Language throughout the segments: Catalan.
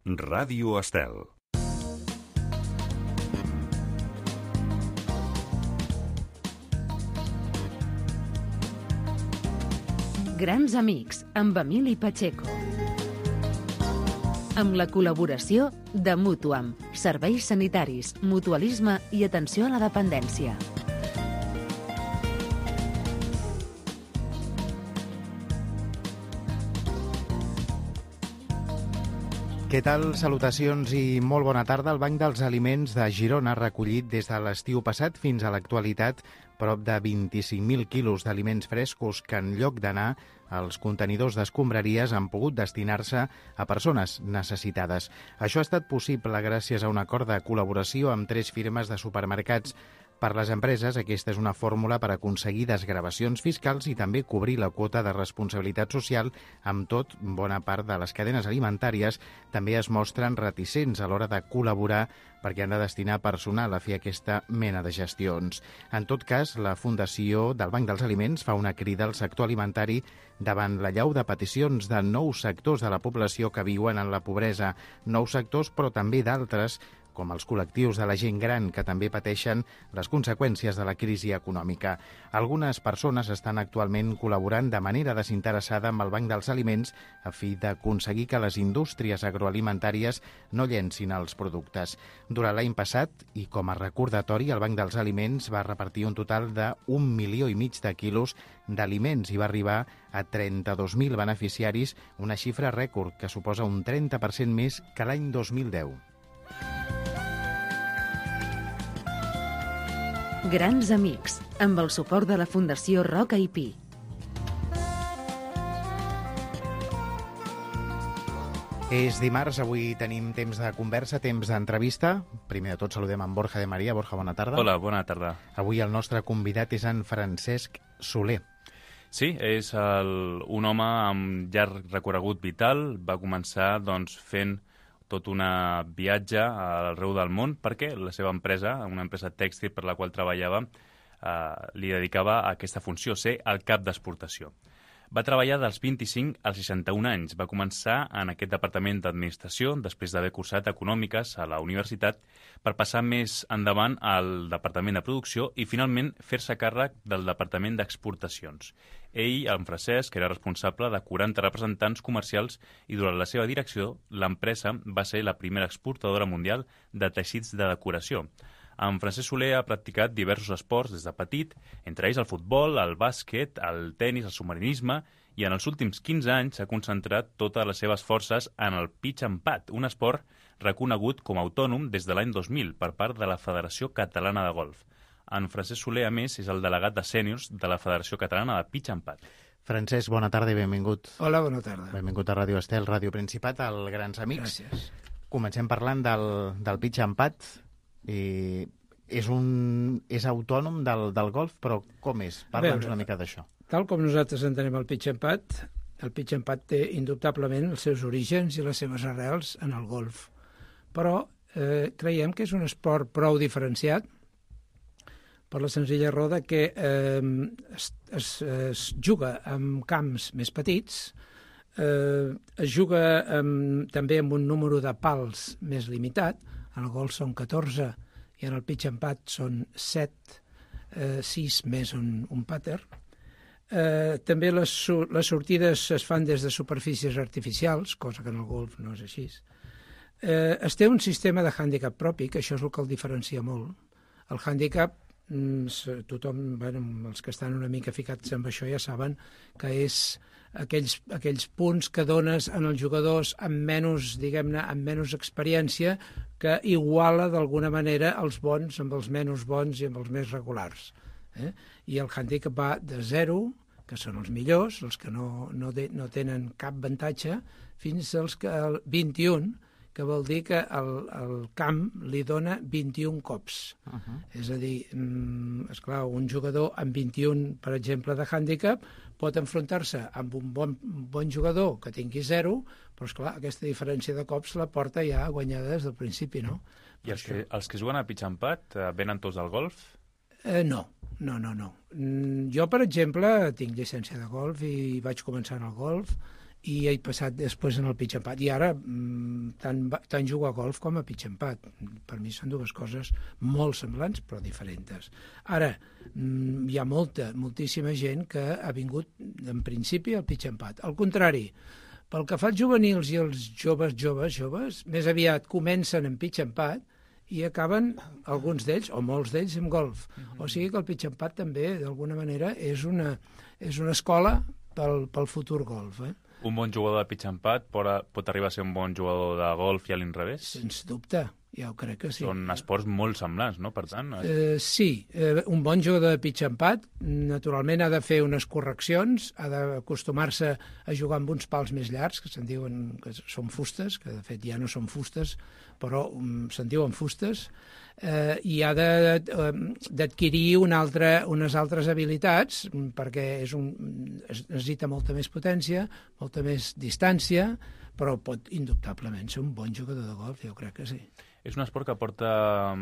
Ràdio Estel. Grans amics, amb Emili Pacheco. Amb la col·laboració de Mutuam, serveis sanitaris, mutualisme i atenció a la dependència. Què tal? Salutacions i molt bona tarda. El Banc dels Aliments de Girona ha recollit des de l'estiu passat fins a l'actualitat prop de 25.000 quilos d'aliments frescos que, en lloc d'anar als contenidors d'escombraries, han pogut destinar-se a persones necessitades. Això ha estat possible gràcies a un acord de col·laboració amb 3 firmes de supermercats. Per les empreses, aquesta és una fórmula per aconseguir desgravacions fiscals i també cobrir la quota de responsabilitat social. Amb tot, bona part de les cadenes alimentàries també es mostren reticents a l'hora de col·laborar perquè han de destinar personal a fer aquesta mena de gestions. En tot cas, la Fundació del Banc dels Aliments fa una crida al sector alimentari davant l'allau de peticions de nous sectors de la població que viuen en la pobresa. Nous sectors, però també d'altres, com els col·lectius de la gent gran, que també pateixen les conseqüències de la crisi econòmica. Algunes persones estan actualment col·laborant de manera desinteressada amb el Banc dels Aliments a fi d'aconseguir que les indústries agroalimentàries no llencin els productes. Durant l'any passat, i com a recordatori, el Banc dels Aliments va repartir un total de 1,5 milió de quilos d'aliments i va arribar a 32.000 beneficiaris, una xifra rècord que suposa un 30% més que l'any 2010. Grans amics, amb el suport de la Fundació Roca i Pi. És dimarts, avui tenim temps de conversa, temps d'entrevista. Primer de tot saludem en Borja de Maria. Borja, bona tarda. Hola, bona tarda. Avui el nostre convidat és en Francesc Soler. Sí, és un home amb llarg recorregut vital. Va començar fent tot un viatge arreu del món perquè la seva empresa, una empresa tèxtil per la qual treballava, li dedicava a aquesta funció, ser el cap d'exportació. Va treballar dels 25 als 61 anys. Va començar en aquest departament d'administració després d'haver cursat econòmiques a la universitat per passar més endavant al departament de producció i finalment fer-se càrrec del departament d'exportacions. Ell, en Francesc, era responsable de 40 representants comercials i durant la seva direcció l'empresa va ser la primera exportadora mundial de teixits de decoració. En Francesc Soler ha practicat diversos esports des de petit, entre ells el futbol, el bàsquet, el tenis, el submarinisme, i en els últims 15 anys s'ha concentrat totes les seves forces en el pitch and pad, un esport reconegut com a autònom des de l'any 2000 per part de la Federació Catalana de Golf. En Francesc Soler, a més, és el delegat de sèniors de la Federació Catalana de Pitch and Pad. Francesc, bona tarda i benvingut. Hola, bona tarda. Benvingut a Ràdio Estel, Ràdio Principat, al Grans Amics. Gràcies. Comencem parlant del pitch and pad. És autònom del golf, però com és? Parla'ns una mica d'això. Tal com nosaltres entenem el pitch and pad, el pitch and pad té indubtablement els seus orígens i les seves arrels en el golf. Però creiem que és un esport prou diferenciat per la senzilla raó que es juga en camps més petits, es juga també amb un número de pals més limitat. En el golf són 14 i en el pitch and pad són 7, 6 més un pàter. També les sortides es fan des de superfícies artificials, cosa que en el golf no és així. Es té un sistema de hàndicap propi, que això és el que el diferencia molt. El hàndicap, tothom, els que estan una mica ficats amb això ja saben que és aquells punts que dones en els jugadors amb menys, diguem-ne, amb menys experiència, que iguala d'alguna manera els bons amb els menys bons i amb els més regulars. I el handicap va de 0, que són els millors, els que no tenen cap avantatge, fins als 21, que vol dir que el camp li dona 21 cops. És a dir, esclar, un jugador amb 21, per exemple, de hàndicap, pot enfrontar-se amb un bon jugador que tingui 0, però, esclar, aquesta diferència de cops la porta ja guanyada des del principi, no? I els que juguen a pitch and pad venen tots al golf? No. Jo, per exemple, tinc llicència de golf i vaig començar en el golf i he passat després en el pitch and putt. I ara tant jugo a golf com a pitch and putt. Per mi són dues coses molt semblants, però diferents. Ara, hi ha moltíssima gent que ha vingut, en principi, al pitch and putt. Al contrari, pel que fa als juvenils i els joves, més aviat comencen en pitch and putt i acaben, alguns d'ells, o molts d'ells, en golf. O sigui que el pitch and putt també, d'alguna manera, és una escola pel futur golf, Un bon jugador de pitch and putt pot arribar a ser un bon jugador de golf i a l'inrevés? Sens dubte, ja ho crec que sí. Són esports molt semblants, no? Per tant... Sí, un bon jugador de pitch and putt naturalment ha de fer unes correccions, ha d'acostumar-se a jugar amb uns pals més llargs, que se'n diuen que són fustes, que de fet ja no són fustes, però se'n diuen fustes, i ha d'adquirir unes altres habilitats, perquè es necessita molta més potència, molta més distància, però pot indubtablement ser un bon jugador de golf, jo crec que sí. És un esport que porta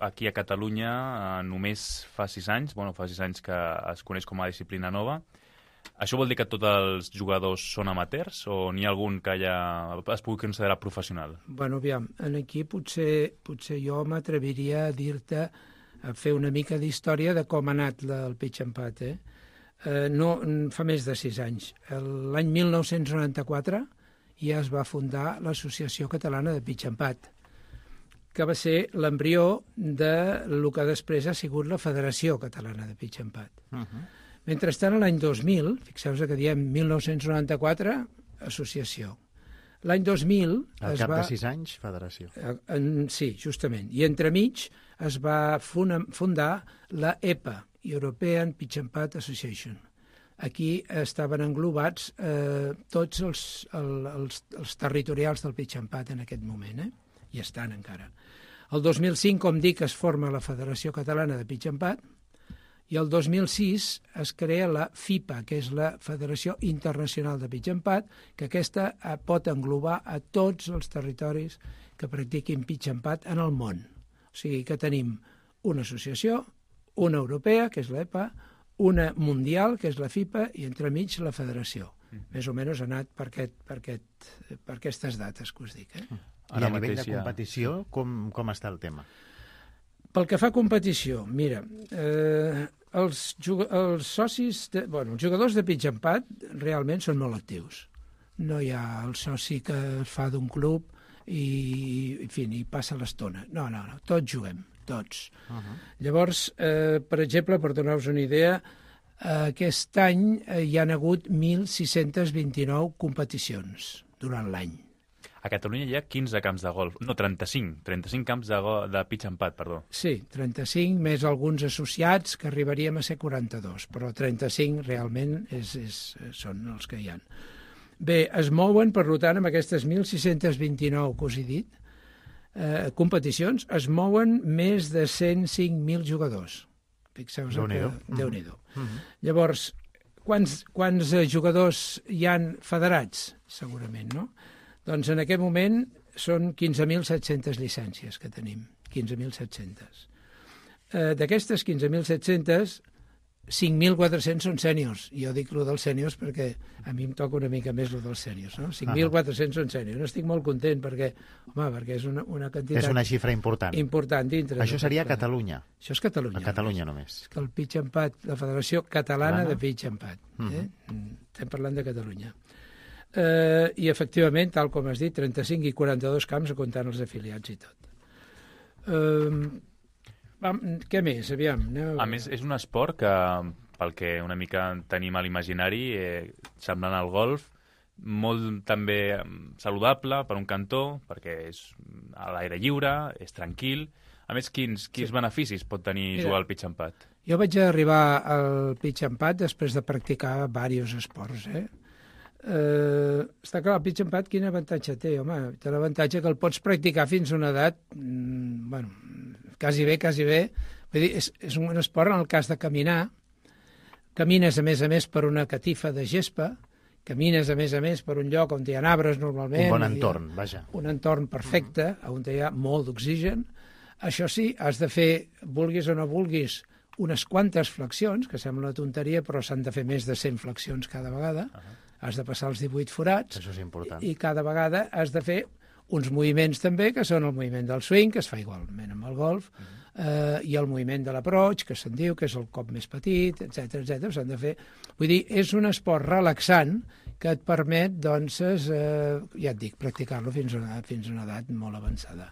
aquí a Catalunya només fa 6 anys, fa 6 anys que es coneix com a disciplina nova. Això vol dir que tots els jugadors són amateurs o n'hi ha algun que ja es pugui considerar professional? Bueno, aviam, aquí potser jo m'atreviria a dir-te, a fer una mica d'història de com ha anat el pitch and putt. No, fa més de 6 anys. L'any 1994 ja es va fundar l'Associació Catalana de Pitch and Putt, que va ser l'embrió del que després ha sigut la Federació Catalana de Pitch and Putt. Mentrestant, l'any 2000, fixeu-vos que diem 1994, associació. L'any 2000... Al cap de 6 anys, federació. Sí, justament. I entremig es va fundar la EPA, European Pitch and Putt Association. Aquí estaven englobats tots els territorials del pitch and putt en aquest moment, i estan encara. El 2005, com dic, es forma la Federació Catalana de Pitch and Putt, i el 2006 es crea la FIPA, que és la Federació Internacional de Pitch and Putt, que aquesta pot englobar a tots els territoris que practiquin pitch and putt en el món. O sigui que tenim una associació, una europea, que és l'EPA, una mundial, que és la FIPA, i entremig la federació. Més o menys ha anat per aquestes dates que us dic. I a nivell de competició, com està el tema? Pel que fa a competició, mira, els socis, els jugadors de pitch and putt realment són molt actius. No hi ha el soci que fa d'un club i passa l'estona. No, tots juguem, tots. Llavors, per exemple, per donar-vos una idea, aquest any hi han hagut 1.629 competicions durant l'any. A Catalunya hi ha 15 camps de golf, no, 35 camps de pitch and putt, perdó. Sí, 35, més alguns associats, que arribaríem a ser 42, però 35 realment són els que hi ha. Bé, es mouen, per tant, amb aquestes 1.629 que us he dit, competicions, es mouen més de 105.000 jugadors. Fixeu-vos que... Déu-n'hi-do. Llavors, quants jugadors hi han federats? Segurament, no? Doncs en aquest moment són 15.700 llicències que tenim, 15.700. D'aquestes 15.700, 5.400 són sèniors. Jo dic el dels sèniors perquè a mi em toca una mica més el dels sèniors, no? 5.400 són sèniors. No estic molt content perquè és una quantitat... És una xifra important. Important dintre. Això seria a Catalunya. Això és Catalunya. A Catalunya només. És que el pitch and putt, la Federació Catalana de Pitch and Putt. Estem parlant de Catalunya. I efectivament, tal com has dit, 35 i 42 camps comptant els afiliats i tot. Què més? Aviam. A més, és un esport que, pel que una mica tenim a l'imaginari, semblant al golf, molt també saludable per un cantó, perquè és a l'aire lliure, és tranquil. A més, quins beneficis pot tenir jugar al pitch and putt? Jo vaig arribar al pitch and putt després de practicar diversos esports, està clar, el pitch and putt quin avantatge té, home? Té l'avantatge que el pots practicar fins a una edat, quasi bé. Vull dir, és un esport en el cas de caminar. Camines, a més, per una catifa de gespa, camines, a més, per un lloc on hi ha arbres, normalment. Un bon entorn, vaja. Un entorn perfecte, on hi ha molt d'oxigen. Això sí, has de fer, vulguis o no vulguis, unes quantes flexions, que sembla una tonteria, però s'han de fer més de 100 flexions cada vegada. has de passar els 18 forats. Això és important. I cada vegada has de fer uns moviments també, que són el moviment del swing, que es fa igualment amb el golf, i el moviment de l'approach, que se'n diu, que és el cop més petit, etc s'han de fer. Vull dir, és un esport relaxant que et permet, doncs, ja et dic, practicar-lo fins a una edat molt avançada.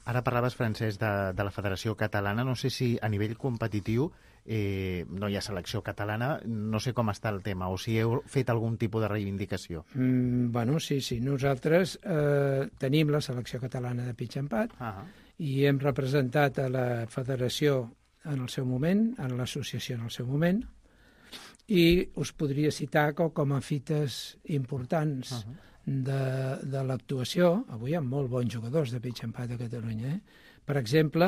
Ara parlaves, Francesc, de la Federació Catalana. No sé si a nivell competitiu no hi ha selecció catalana. No sé com està el tema, o si heu fet algun tipus de reivindicació. Bueno, sí. Nosaltres tenim la selecció catalana de pitch and putt i hem representat a la federació en el seu moment, en l'associació en el seu moment, i us podria citar com a fites importants de l'actuació. Avui hi ha molt bons jugadors de pitch and putt a Catalunya. Per exemple,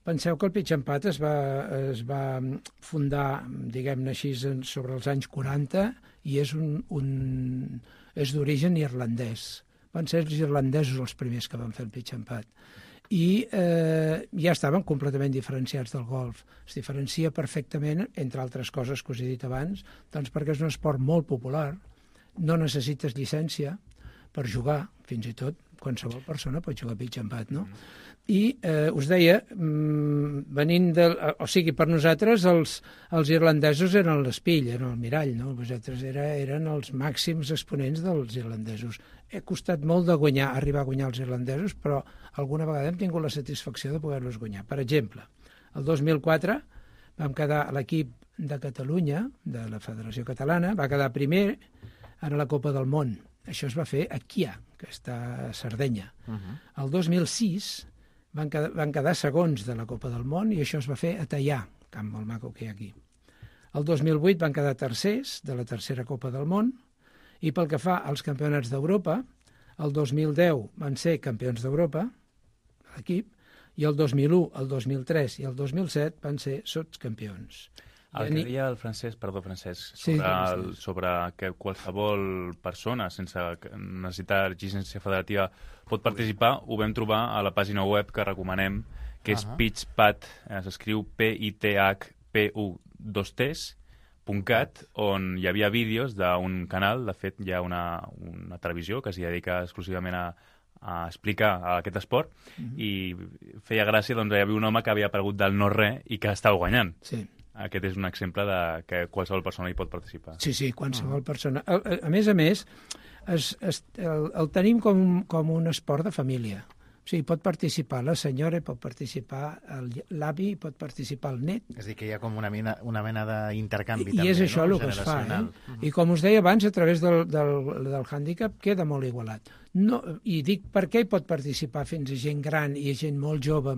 penseu que el pitch and putt es va fundar, diguem-ne així, sobre els anys 40 i és d'origen irlandès. Van ser els irlandesos els primers que van fer el pitch and putt. I ja estaven completament diferenciats del golf. Es diferencia perfectament, entre altres coses que us he dit abans, doncs perquè és un esport molt popular, no necessites llicència per jugar, fins i tot qualsevol persona pot jugar pitch and putt, no? I us deia, o sigui, per nosaltres els irlandesos eren l'espill, eren el mirall, no? Vosaltres eren els màxims exponents dels irlandesos. He costat molt de arribar a guanyar els irlandesos, però alguna vegada hem tingut la satisfacció de poder-los guanyar. Per exemple, el 2004 vam quedar l'equip de Catalunya, de la Federació Catalana, va quedar primer en la Copa del Món. Això es va fer a Kià, que està a Sardenya. El 2006 van quedar segons de la Copa del Món i això es va fer a Teià, camp molt maco que hi ha aquí. El 2008 van quedar tercers de la tercera Copa del Món i pel que fa als campionats d'Europa, el 2010 van ser campions d'Europa, l'equip, i el 2001, el 2003 i el 2007 van ser sotscampions. El que deia el Francesc, sobre que qualsevol persona sense necessitar llicència federativa pot participar, ho vam trobar a la pàgina web que recomanem, que és pitchputt, s'escriu PITHPU2Ts.cat, on hi havia vídeos d'un canal, de fet hi ha una televisió que s'hi dedica exclusivament a explicar aquest esport, i feia gràcia, doncs hi havia un home que havia aparegut del no-res i que estava guanyant. Sí. Aquest és un exemple de que qualsevol persona hi pot participar. Sí, qualsevol persona. A més, el tenim com un esport de família. O sigui, pot participar la senyora, pot participar l'avi, pot participar el net. És a dir, que hi ha com una mena d'intercanvi també, I és això el que es fa. I com us deia abans, a través del hàndicap queda molt igualat. I dic, per què hi pot participar fins a gent gran i gent molt jove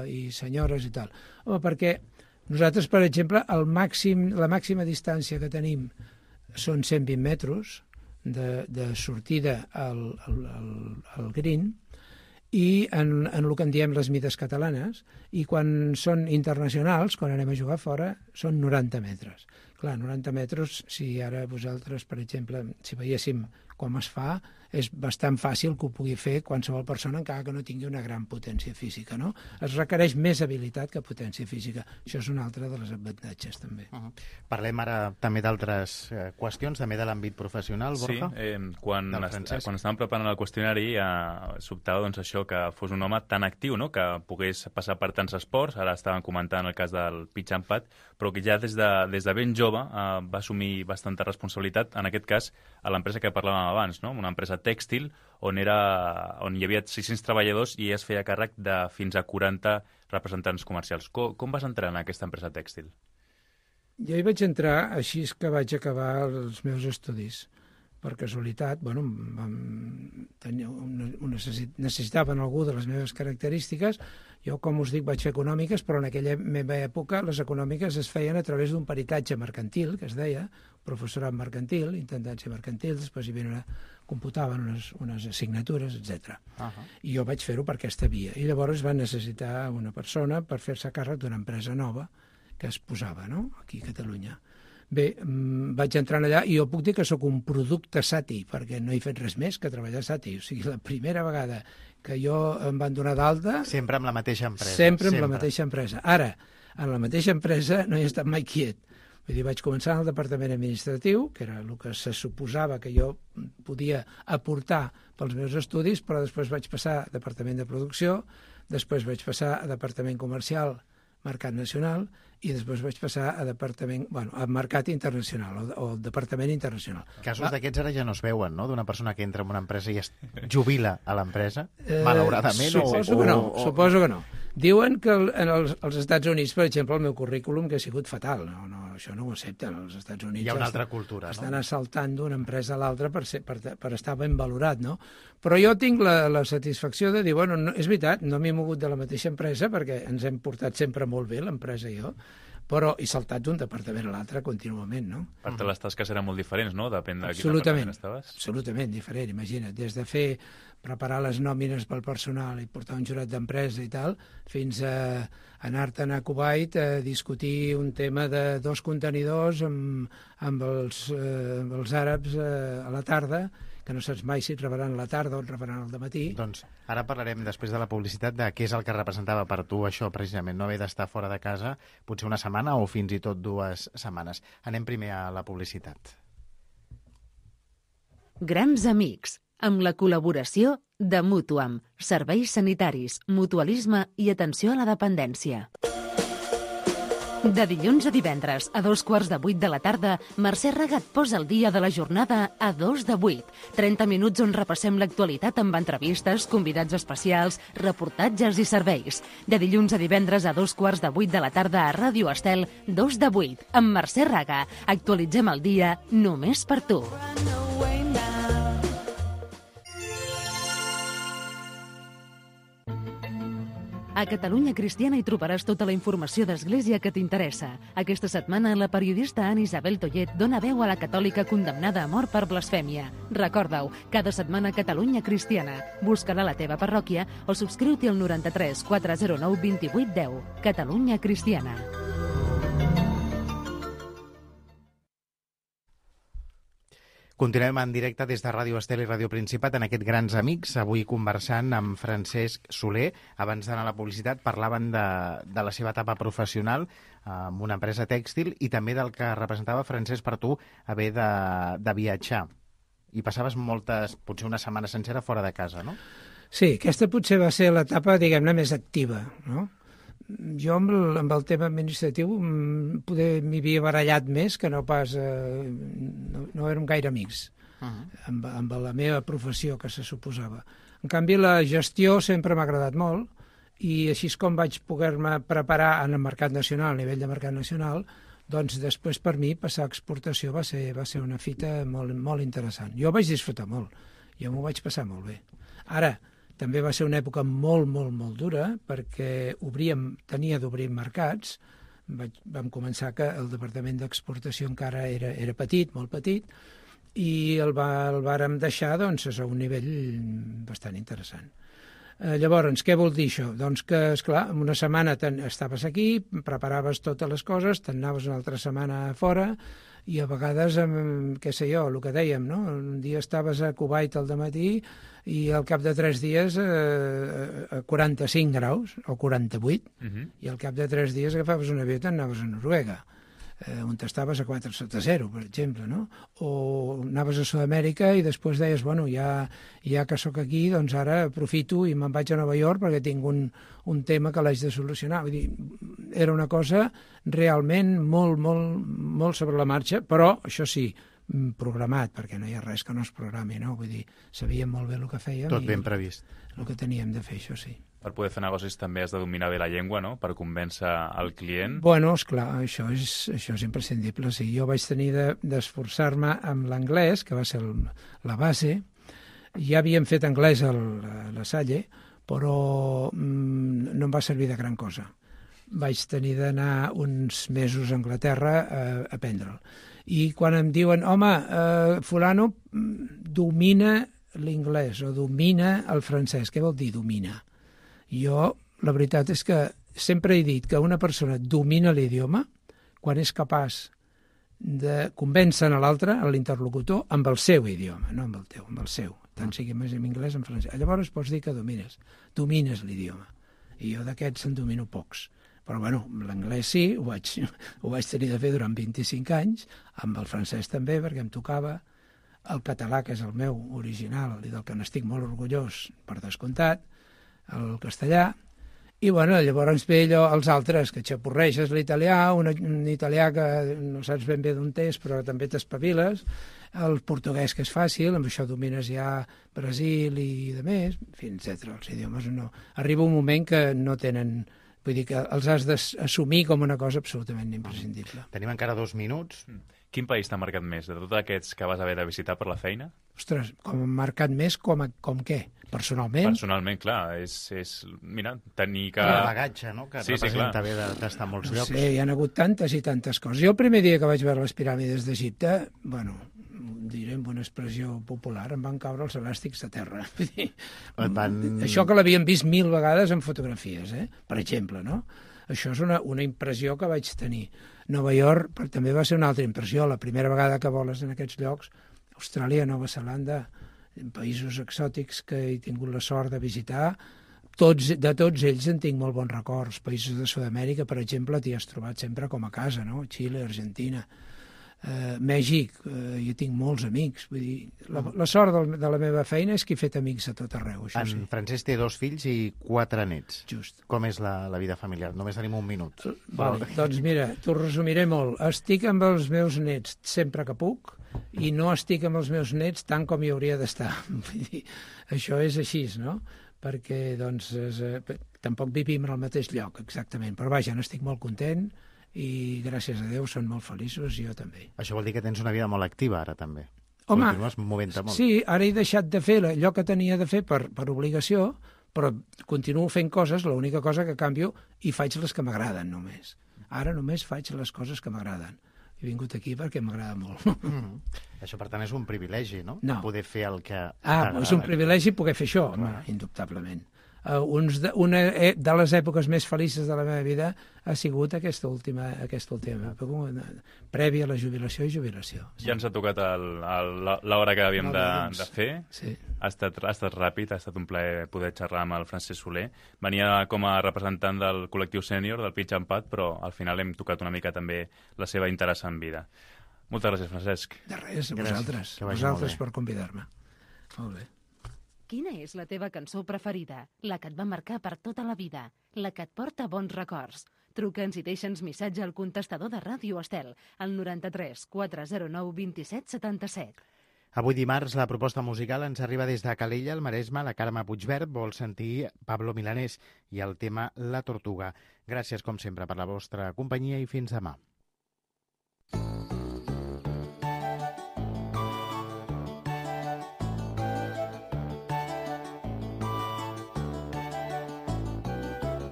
i senyores i tal? Home, perquè nosaltres, per exemple, la màxima distància que tenim són 120 metres de sortida al green i en el que en diem les mides catalanes, i quan són internacionals, quan anem a jugar fora, són 90 metres. Clar, 90 metres, si ara vosaltres, per exemple, si veiéssim com es fa, és bastant fàcil que ho pugui fer qualsevol persona encara que no tingui una gran potència física, no? Es requereix més habilitat que potència física. Això és un altre dels avantatges, també. Parlem ara també d'altres qüestions, també de l'àmbit professional, Borja? Sí, quan estàvem preparant el qüestionari sobtava doncs, això, que fos un home tan actiu, no?, que pogués passar per tants esports. Ara estàvem comentant el cas del pitch and putt, però que ja des de ben jove va assumir bastanta responsabilitat, en aquest cas a l'empresa que parlàvem abans, no?, una empresa tèxtil on hi havia 600 treballadors i es feia càrrec de fins a 40 representants comercials. Com vas entrar en aquesta empresa tèxtil? Jo hi vaig entrar així que vaig acabar els meus estudis. Per casualitat, necessitaven algú de les meves característiques. Jo, com us dic, vaig fer econòmiques, però en aquella meva època les econòmiques es feien a través d'un peritatge mercantil, que es deia, professorat mercantil, intentant ser mercantil, després computaven unes assignatures, etc. I jo vaig fer-ho per aquesta via. I llavors van necessitar una persona per fer-se càrrec d'una empresa nova que es posava, no?, aquí a Catalunya. Bé, vaig entrar allà i jo puc dir que sóc un producte Sati, perquè no he fet res més que treballar a Sati. O sigui, la primera vegada que jo em van donar d'alta... Sempre amb la mateixa empresa. Sempre amb la mateixa empresa. Ara, en la mateixa empresa no he estat mai quiet. Vull dir, vaig començar en el departament administratiu, que era el que se suposava que jo podia aportar pels meus estudis, però després vaig passar a departament de producció, després vaig passar a departament comercial, mercat nacional, i després vaig passar a a mercat internacional o departament internacional. Casos d'aquests ara ja no es veuen, no? D'una persona que entra en una empresa i es jubila a l'empresa, malauradament? Suposo que no. Diuen que als Estats Units, per exemple, el meu currículum que ha sigut fatal. Això no ho accepten. Als Estats Units hi ha una altra cultura, estan assaltant d'una empresa a l'altra per estar ben valorat, no? Però jo tinc la satisfacció de dir, bueno, és veritat, no m'he mogut de la mateixa empresa perquè ens hem portat sempre molt bé, l'empresa i jo, però he saltat d'un departament a l'altre contínuament, no? Per tant, les tasques eren molt diferents, no? Depèn de quin departament estaves. Absolutament diferent, imagina't. Des de preparar les nòmines pel personal i portar un jurat d'empresa i tal, fins a anar-te'n a Kuwait a discutir un tema de 2 contenidors amb els àrabs a la tarda, que no saps mai si et rebran a la tarda o et rebran al dematí. Doncs ara parlarem, després de la publicitat, de què és el que representava per tu això, precisament, no haver d'estar fora de casa potser una setmana o fins i tot 2 setmanes. Anem primer a la publicitat. Grans amics, amb la col·laboració de Mutuam, serveis sanitaris, mutualisme i atenció a la dependència. De dilluns a divendres, a 7:15 de la tarda, Mercè Raga et posa el dia de la jornada a 7:02. 30 minuts on repassem l'actualitat amb entrevistes, convidats especials, reportatges i serveis. De dilluns a divendres a 7:15 de la tarda a Ràdio Estel, 2:08, amb Mercè Raga. Actualitzem el dia només per tu. A Catalunya Cristiana hi trobaràs tota la informació d'Església que t'interessa. Aquesta setmana, la periodista Anna Isabel Tollet dona veu a la catòlica condemnada a mort per blasfèmia. Recorda-ho, cada setmana Catalunya Cristiana. Busca-la a la teva parròquia o subscriu-t'hi al 93 409 28 10. Catalunya Cristiana. Continuem en directe des de Ràdio Estel i Ràdio Principat en aquest Grans Amics, avui conversant amb Francesc Soler. Abans d'anar a la publicitat parlaven de la seva etapa professional amb una empresa tèxtil i també del que representava, Francesc, per tu haver de viatjar. I passaves potser una setmana sencera fora de casa, no? Sí, aquesta potser va ser l'etapa, diguem-ne, més activa, no? Jo amb el tema administratiu poder m'hi havia barallat més que no pas... no érem gaire amics amb la meva professió que se suposava. En canvi, la gestió sempre m'ha agradat molt i així com vaig poder-me preparar en el mercat nacional, a nivell de mercat nacional, doncs després per mi passar a exportació va ser una fita molt, molt interessant. Jo vaig disfrutar molt, jo m'ho vaig passar molt bé. Ara, també va ser una època molt, molt, molt dura perquè tenia d'obrir mercats. Vam començar que el departament d'exportació encara era petit, molt petit, i el vàrem deixar doncs, a un nivell bastant interessant. Llavors, què vol dir això? Doncs que, esclar, en una setmana estaves aquí, preparaves totes les coses, te'n anaves una altra setmana fora, i a vegades, què sé jo, el que dèiem, no? Un dia estaves a Kuwait al dematí i al cap de 3 dies a 45 graus, o 48, i al cap de 3 dies agafaves un avió i t'anaves a Noruega, on estaves a 4 sota 0, per exemple, no? O anaves a Sud-amèrica i després deies, bueno, ja que sóc aquí, doncs ara aprofito i me'n vaig a Nova York perquè tinc un tema que l'haig de solucionar. Vull dir, era una cosa realment molt, molt, molt sobre la marxa, però, això sí, programat, perquè no hi ha res que no es programi, no? Vull dir, sabíem molt bé el que fèiem. Tot ben previst. El que teníem de fer, això sí. Per poder fer negocis també has de dominar bé la llengua, no?, per convèncer el client. Bueno, esclar, això és imprescindible. Sí, jo vaig tenir d'esforçar-me amb l'anglès, que va ser la base. Ja havíem fet anglès a la Salle, però no em va servir de gran cosa. Vaig tenir d'anar uns mesos a Anglaterra a aprendre'l. I quan em diuen, home, fulano domina l'inglès o domina el francès, què vol dir domina? Jo, la veritat és que sempre he dit que una persona domina l'idioma quan és capaç de convèncer l'altre, l'interlocutor, amb el seu idioma, no amb el teu, amb el seu. Tant sigui més en anglès o en francès. Llavors pots dir que domines l'idioma. I jo d'aquests en domino pocs. Però, bueno, l'anglès sí, ho vaig tenir de fer durant 25 anys, amb el francès també, perquè em tocava, el català, que és el meu original, i del que n'estic molt orgullós, per descomptat, el castellà, i, bueno, llavors ve allò, els altres, que xapurreixes l'italià, un italià que no saps ben bé d'on és, però també t'espaviles, el portuguès, que és fàcil, amb això domines ja Brasil i de més, en fi, etc. Els idiomes no... Arriba un moment que no tenen... Vull dir que els has d'assumir com una cosa absolutament imprescindible. Tenim encara 2 minuts. Quin país t'ha marcat més, de tots aquests que vas haver de visitar per la feina? Ostres, com ha marcat més, com què? Personalment? Personalment, clar, és mira, tenir que... El bagatge, no?, que representa bé d'estar a molts llocs. Sí, hi ha hagut tantes i tantes coses. Jo el primer dia que vaig veure les piràmides d'Egipte, bueno, diré amb una expressió popular, em van caure els elàstics a terra. Això que l'havien vist 1000 vegades en fotografies, per exemple, no? Això és una impressió que vaig tenir. Nova York també va ser una altra impressió. La primera vegada que voles en aquests llocs, Austràlia, Nova Zelanda, països exòtics que he tingut la sort de visitar, de tots ells en tinc molt bons records. Països de Sud-amèrica, per exemple, t'hi has trobat sempre com a casa, no? Xile, Argentina, Mèxic, jo tinc molts amics. Vull dir, la sort de la meva feina és que he fet amics a tot arreu. En Francesc té 2 fills i 4 nets. Just. Com és la vida familiar? Només tenim 1 minut. Vale, doncs mira, t'ho resumiré molt. Estic amb els meus nets sempre que puc i no estic amb els meus nets tant com hi hauria d'estar. Això és així, no? Perquè, doncs, tampoc vivim en el mateix lloc, exactament. Però vaja, n'estic molt content i gràcies a Déu són molt feliços i jo també. Això vol dir que tens una vida molt activa ara també. Home, continues movent-te molt. Sí, ara he deixat de fer allò que tenia de fer per obligació, però continuo fent coses, l'única cosa que canvio, i faig les que m'agraden només. Ara només faig les coses que m'agraden. He vingut aquí perquè m'agrada molt. Això, per tant, és un privilegi, no? No. Poder fer el que... És un privilegi poder fer això, home, indubtablement. Una de les èpoques més felices de la meva vida ha sigut aquesta última època, prèvia a la jubilació i jubilació. Sí. Ja ens ha tocat l'hora que havíem de fer. Sí. Ha estat ràpid, ha estat un plaer poder xerrar amb el Francesc Soler. Venia com a representant del col·lectiu sènior, del Pitch and Pat, però al final hem tocat una mica també la seva interessant vida. Moltes gràcies, Francesc. De res, a vosaltres per convidar-me. Molt bé. Quina és la teva cançó preferida? La que et va marcar per tota la vida? La que et porta bons records? Truca'ns i deixa'ns missatge al contestador de Ràdio Estel, al 93 409 27 77. Avui dimarts la proposta musical ens arriba des de Calella, al Maresme. La Carme Puigvert vol sentir Pablo Milanés i el tema La Tortuga. Gràcies, com sempre, per la vostra companyia i fins demà.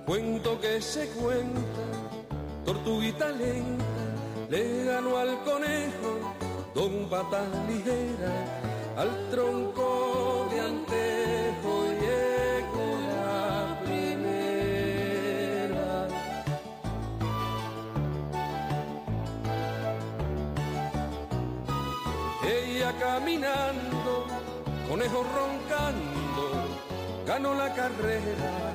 Cuento que se cuenta, tortuguita lenta, le ganó al conejo, don Patas Ligera, al tronco de antejo llegó la primera. Ella caminando, conejo roncando, ganó la carrera.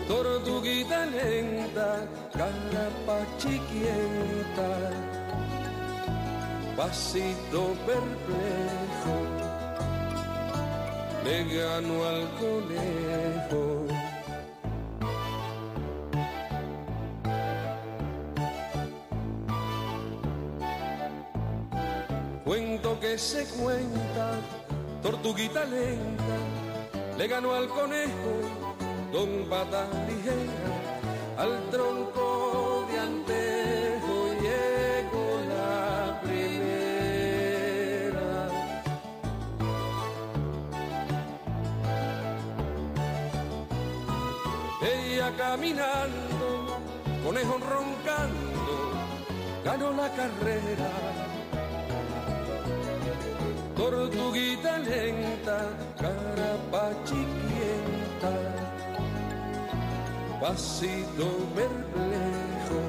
Tortuguita lenta, carapachiquienta, pasito perplejo, le ganó al conejo. Cuento que se cuenta, tortuguita lenta, le ganó al conejo, don Patas Ligera, al tronco de antejo llegó la primera. Ella caminando, conejo roncando, ganó la carrera. Tortuguita lenta, carapachiquienta, pasito perplejo,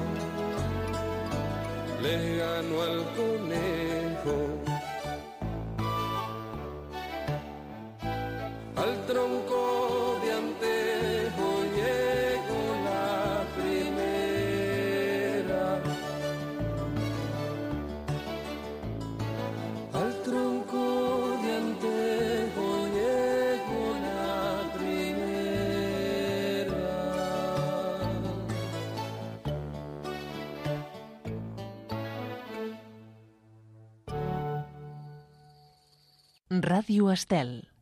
le ganó al conejo. Al tronco de antejo llegó Ràdio Estel.